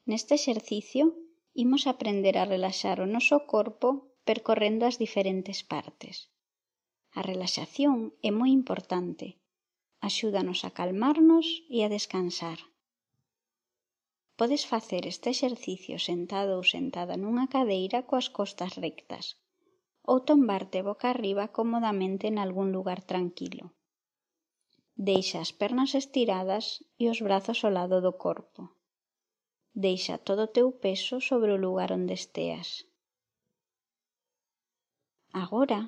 Neste exercicio imos aprender a relaxar o noso corpo percorrendo as diferentes partes. A relaxación é moi importante, axúdanos a calmarnos e a descansar. Podes facer este exercicio sentado ou sentada nunha cadeira coas costas rectas ou tombarte boca arriba cómodamente nalgún lugar tranquilo. Deixa as pernas estiradas e os brazos ao lado do corpo. Deixa todo o teu peso sobre o lugar onde esteas. Agora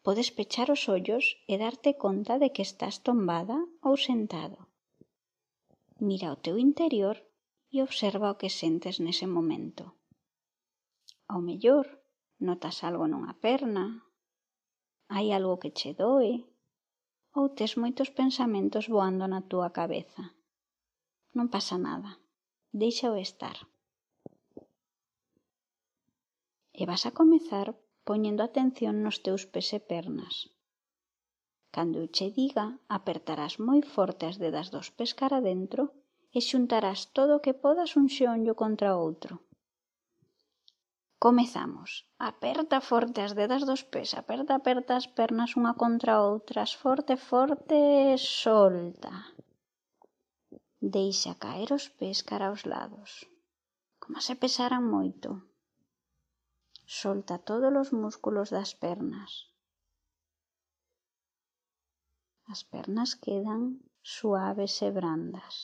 podes pechar os ollos e darte conta de que estás tombada ou sentado. Mira o teu interior e observa o que sentes nese momento. Ao mellor, notas algo nunha perna, hai algo que che doe ou tes moitos pensamentos voando na túa cabeza. Non pasa nada, déixao estar. E vas a comezar poñendo atención nos teus pés e pernas. Cando eu che diga, apertarás moi forte as dedas dos pés cara dentro e xuntarás todo o que podas un xeonllo contra outro. Comezamos. Aperta forte as dedas dos pés, aperta as pernas unha contra outras, forte, forte, solta. Deixa caer os pés cara aos lados, como se pesaran moito. Solta todos os músculos das pernas. As pernas quedan suaves e brandas.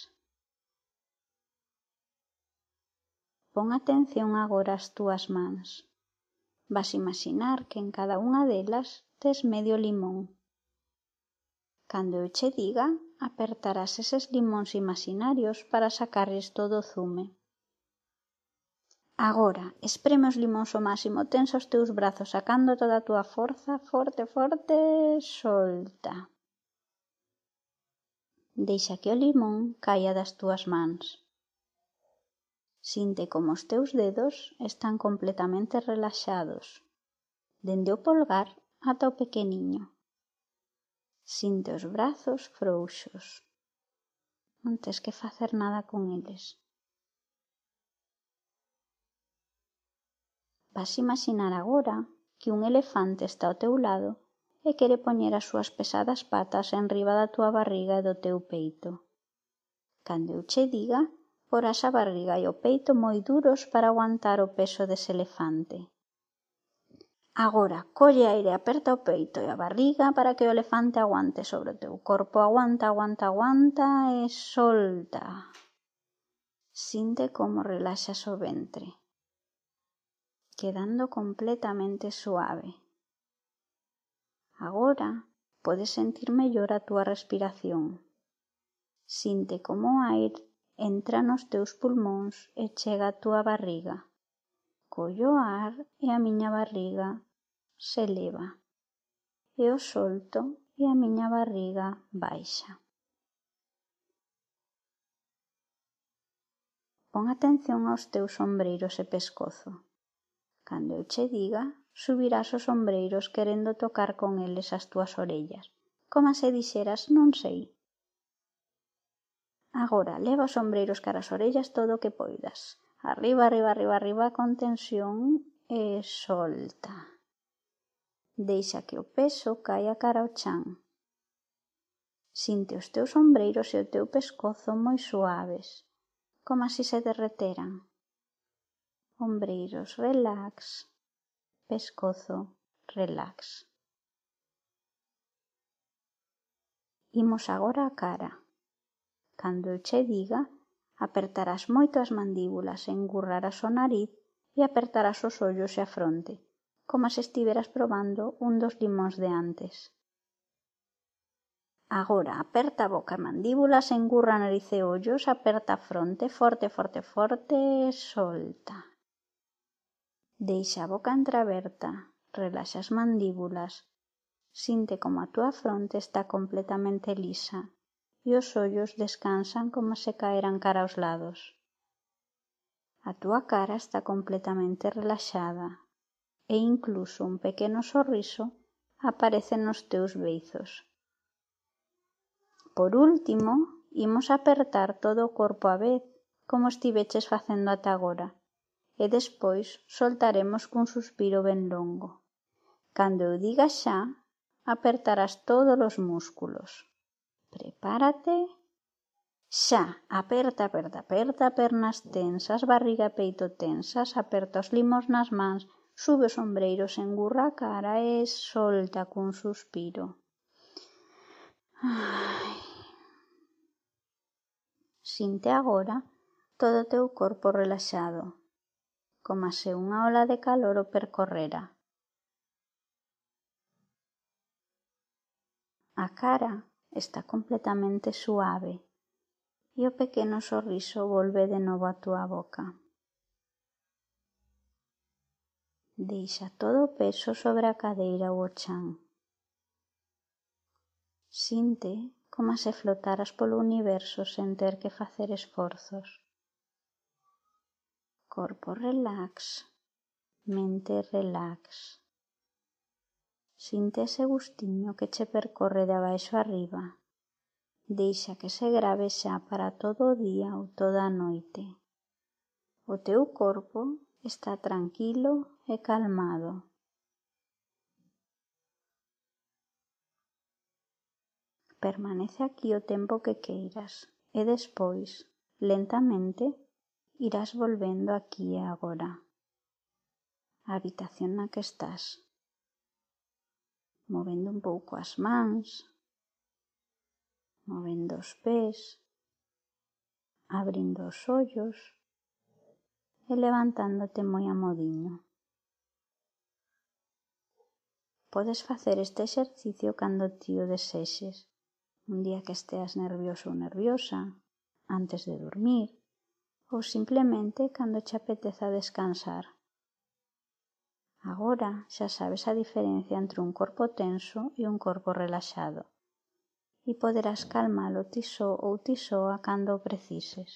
Pon atención agora ás túas mans. Vas imaginar que en cada unha delas tes medio limón. Cando eu che diga, apertarás eses limóns imaginarios para sacarles todo o zume. Agora, espreme os limóns ao máximo, tensa os teus brazos sacando toda a túa forza, forte, forte, solta. Deixa que o limón caia das túas mans. Sinte como os teus dedos están completamente relaxados, dende o polgar ata o pequeniño. Sinte os brazos frouxos. Non tes que facer nada con eles. Vas imaginar agora que un elefante está ao teu lado e quere poñer as súas pesadas patas enriba da túa barriga e do teu peito. Cando eu che diga, porás a barriga e o peito moi duros para aguantar o peso dese elefante. Agora, colle aire, aperta o peito e a barriga para que o elefante aguante sobre o teu corpo. Aguanta, aguanta, aguanta e solta. Sinte como relaxas o ventre, quedando completamente suave. Agora podes sentir mellor a túa respiración. Sinte como o aire entra nos teus pulmóns e chega á túa barriga. Collo o ar e a miña barriga se eleva. E o solto e a miña barriga baixa. Pon atención aos teus ombreiros e pescozo. Cando eu che diga, subirás os ombreiros querendo tocar con eles as túas orellas, como se dixeras non sei. Agora, leva os ombreiros cara as orellas todo o que poidas. Arriba, arriba, arriba, arriba, con tensión e solta. Deixa que o peso caia cara ao chan. Sinte os teus ombreiros e o teu pescozo moi suaves, como se se derreteran. Ombreiros, relax. Pescozo, relax. Imos agora a cara. Cando eu che diga, apertarás moito as mandíbulas, engurrarás o nariz e apertarás os ollos e a fronte, como se estiveras probando un dos limóns de antes. Agora, aperta a boca e mandíbulas, engurra nariz e ollos, aperta a fronte, forte, forte, forte, solta. Deixa a boca entreaberta, relaxa as mandíbulas, sinte como a túa fronte está completamente lisa e os ollos descansan como se caeran cara aos lados. A túa cara está completamente relaxada e incluso un pequeno sorriso aparece nos teus beizos. Por último, imos apertar todo o corpo á vez, como estiveches facendo ata agora, e despois soltaremos cun suspiro ben longo. Cando eu diga xa, apertarás todos os músculos. Prepárate. Xa, aperta, aperta, aperta, pernas tensas, barriga e peito tensas, aperta os limos nas mans, sube os ombreiros, engurra a cara e solta cun suspiro. Sinte agora todo o teu corpo relaxado, como se unha ola de calor o percorrera. A cara está completamente suave e o pequeno sorriso volve de novo á túa boca. Deixa todo o peso sobre a cadeira ou o chan. Sinte como se flotaras polo universo sen ter que facer esforzos. Corpo relax, mente relax. Sinte ese gustiño que che percorre de abaixo arriba. Deixa que se grave xa para todo o día ou toda a noite. O teu corpo está tranquilo e calmado. Permanece aquí o tempo que queiras e despois, lentamente, irás volvendo aquí e agora. A habitación na que estás. Movendo un pouco as mans, movendo os pés, abrindo os ollos e levantándote moi amodiño. Podes facer este exercicio cando ti o desexes, un día que esteas nervioso ou nerviosa, antes de dormir, ou simplemente cando che apeteza descansar. Agora xa sabes a diferencia entre un corpo tenso e un corpo relaxado e poderás calmalo ti só ou ti soa cando o precises.